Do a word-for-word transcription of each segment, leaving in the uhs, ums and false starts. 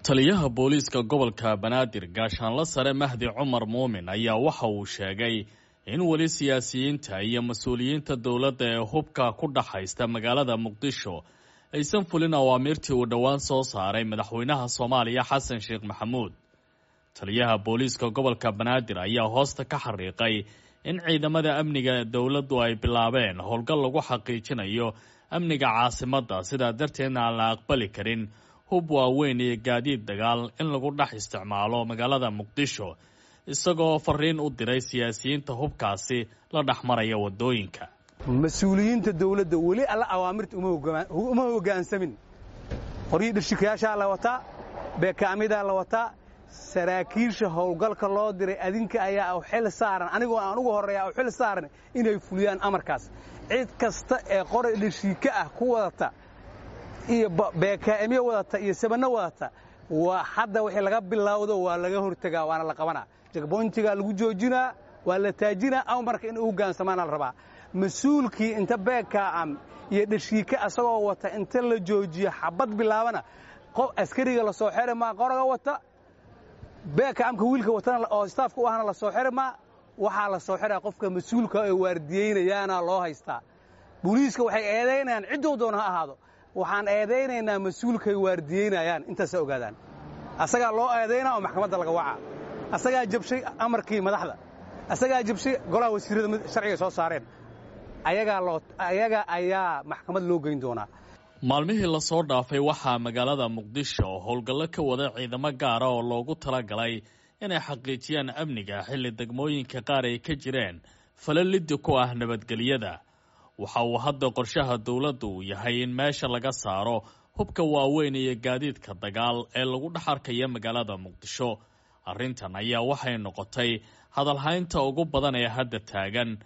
Taliyaha booliiska gobolka Banaadir, Gaashaanla Sare Mahdi Cumar Muumin, ayaa waxa uu sheegay in weli siyaasiyiinta iyo mas-uuliyiinta dowladda ee hubka ku dhaxaysta magaalada Muqdisho aysan fulin awaamiirtii uu dhowaan soo saaray madaxweynaha Soomaaliya Xasan Sheekh Maxamuud. Taliyaha booliiska gobolka Banaadir ayaa hoosta ka xariiqay in ciidamada amniga dowladdu ay bilaabeen howlgal lagu xaqiijinayo amniga caasimadda, sidaa darteedna aan la aqbali karin hub waaweyn iyo gaadiid dagaal in lagu dhex isticmaalo magaalada Muqdisho, isagoo fariin u diray siyaasiyiinta hubkaasi la dhex maraya waddooyinka. Mas-uuliyiinta dawladda weli alla awaamirta uma hoggaansamin. Qoryii dhirshikayaashaa la wataa, beekaamidaa la wataa. Saraakiisha howlgalka loo diray adinka ayaa u xil saaran, anigoo aan ugu horreeya u xil saaran inay fuliyaan amarkaas. Cid kasta ee qoray dhirshika ah ku wadata iyo beekaamyo wadata iyo sabanno wadata, waa hadda wixii laga bilowdo waa laga hortegaa, waana la qabanaa, jagboyntigaa lagu joojinaa, waa la taajinaa. Amarka in u hogaansamaana la rabaa. Mas-uulkii inta beekaam iyo dhashiika asagoo wata inta la joojiyo xabad bilaabana, qof askariga la soo xiri maa qoraga wata, beekaamka wiilka watana oo istaafka u ahna la soo xiri maa. Waxaa la soo xiraa qofka mas-uulka ay waardiyeynayaana loo haystaa. Booliiska waxay eedaynayaan cidduu doona ha ahaado, waxaan eedaynaynaa mas-uulkay waardiyeynayaan. Intaasa ogaadaan, asagaa loo eedaynaa oo maxkamadda laga wacaa. Asagaa jabshay amarkii madaxda, asagaa jabshay golaha wasiirrada sharciga soo saareen, ayagaa loo ayaga ayaa maxkamad loo geyn doonaa. Maalmihii lasoo dhaafay waxaa magaalada Muqdisho howlgallo ka wada ciidamo gaara oo loogu talagalay inay xaqiijiyaan amniga, xilli degmooyinka qaar ay ka jireen falalidi ku ah nabadgelyada. Waxa uu hadda qorshaha dowladdu uu yahay in meesha laga saaro hubka waaweyn iyo gaadiidka dagaal ee lagu dhex arkaya magaalada Muqdisho. Arrintan ayaa waxay noqotay hadalhaynta ugu badan ee hadda taagan.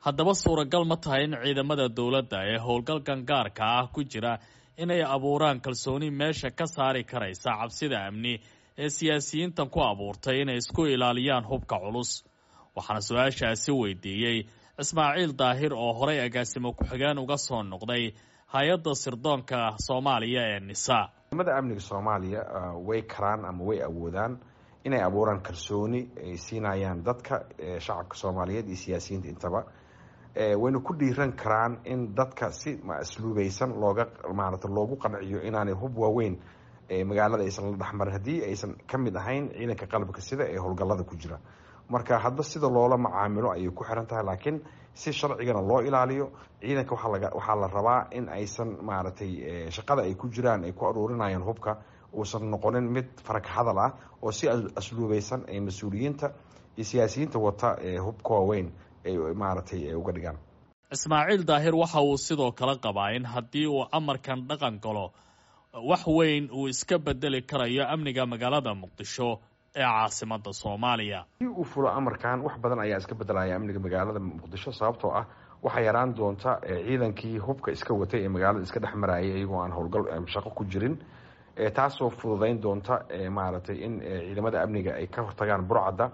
Haddaba suuragal ma tahay in ciidamada dowladda ee howlgalkan gaarka ah ku jira inay abuuraan kalsooni meesha ka saari karaysa cabsida amni ee siyaasiyiintan ku abuurtay inay isku ilaaliyaan hubka culus? Waxaana su-aashaasi weydiiyey Ismaaciil Daahir oo horay agaasimo ku-xigeen uga soo noqday hay-adda sirdoonka Soomaaliya ee NISA. Ciidamada amniga Soomaaliya way karaan ama way awoodaan inay abuuraan kalsooni ay siinayaan dadka shacabka Soomaaliyeed iyo siyaasiyiinta intaba. Wayna ku dhiiran karaan in dadka si asluubeysan looga maarata loogu qanciyo inaanay hub waaweyn magaalada aysan la dhexmarin haddii aysan ka mid ahayn ciidanka qalabka sida ee howlgallada ku jira. Marka hadba sida loola macaamilo ayay ku xiran tahay, laakiin si sharcigana loo ilaaliyo ciidanka waxaa waxaa la rabaa in aysan maaragtay shaqada ay ku jiraan ay ku aruurinayaan hubka uusan noqonin mid farag hadal ah, oo si asluubeysan ay mas-uuliyiinta iyo siyaasiyiinta wata hubka waaweyn ay maaragtay uga dhigaan. Ismaaciil Daahir waxa uu sidoo kale qabaa in haddii uu amarkan dhaqan galo wax weyn uu iska bedeli karayo amniga magaalada Muqdisho ee caasimadda Soomaaliya. Hadii uu fulo amarkan, wax badan ayaa iska bedelaya amniga magaalada Muqdisho, sababtoo ah waxaa yaraan doonta ciidankii hubka iska watay ee magaalada iska dhex marayay iyagoo aan howlgal shaqo ku jirin, taasoo fududeyn doonta maaragtay in ciidamada amniga ay ka hortagaan burcadda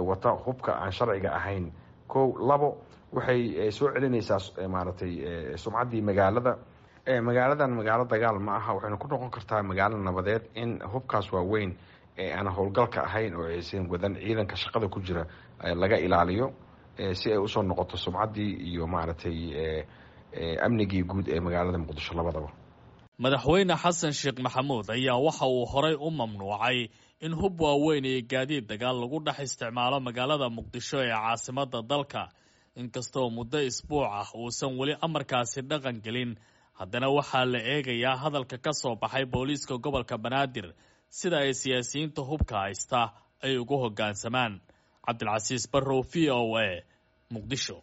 wata hubka aan sharciga ahayn. Kow, labo, waxay soo celinaysaa maaragtay sumcaddii magaalada. Magaaladan magaalo dagaal ma aha, waxayna ku noqon kartaa magaalo nabadeed in hubkaas waaweyn ee aan howlgalka ahayn oo aysan wadan ciidanka shaqada ku jira laga ilaaliyo, si ay usoo noqoto sumcaddii iyo maaragtay amnigii guud ee magaalada Muqdisho labadaba. Madaxweyne Xasan Sheekh Maxamuud ayaa waxa uu horay u mamnuucay in hub waaweyn iyo gaadiid dagaal lagu dhex isticmaalo magaalada Muqdisho ee caasimadda dalka. Inkastoo muddo isbuuc ah uusan weli amarkaasi dhaqan gelin, haddana waxaa la eegayaa hadalka ka soo baxay booliiska gobolka Banaadir sida ay siyaasiyiinta hubka haysta ay ugu hoggaansamaan. Cabdilcasiis Barrow, V O A, Muqdisho.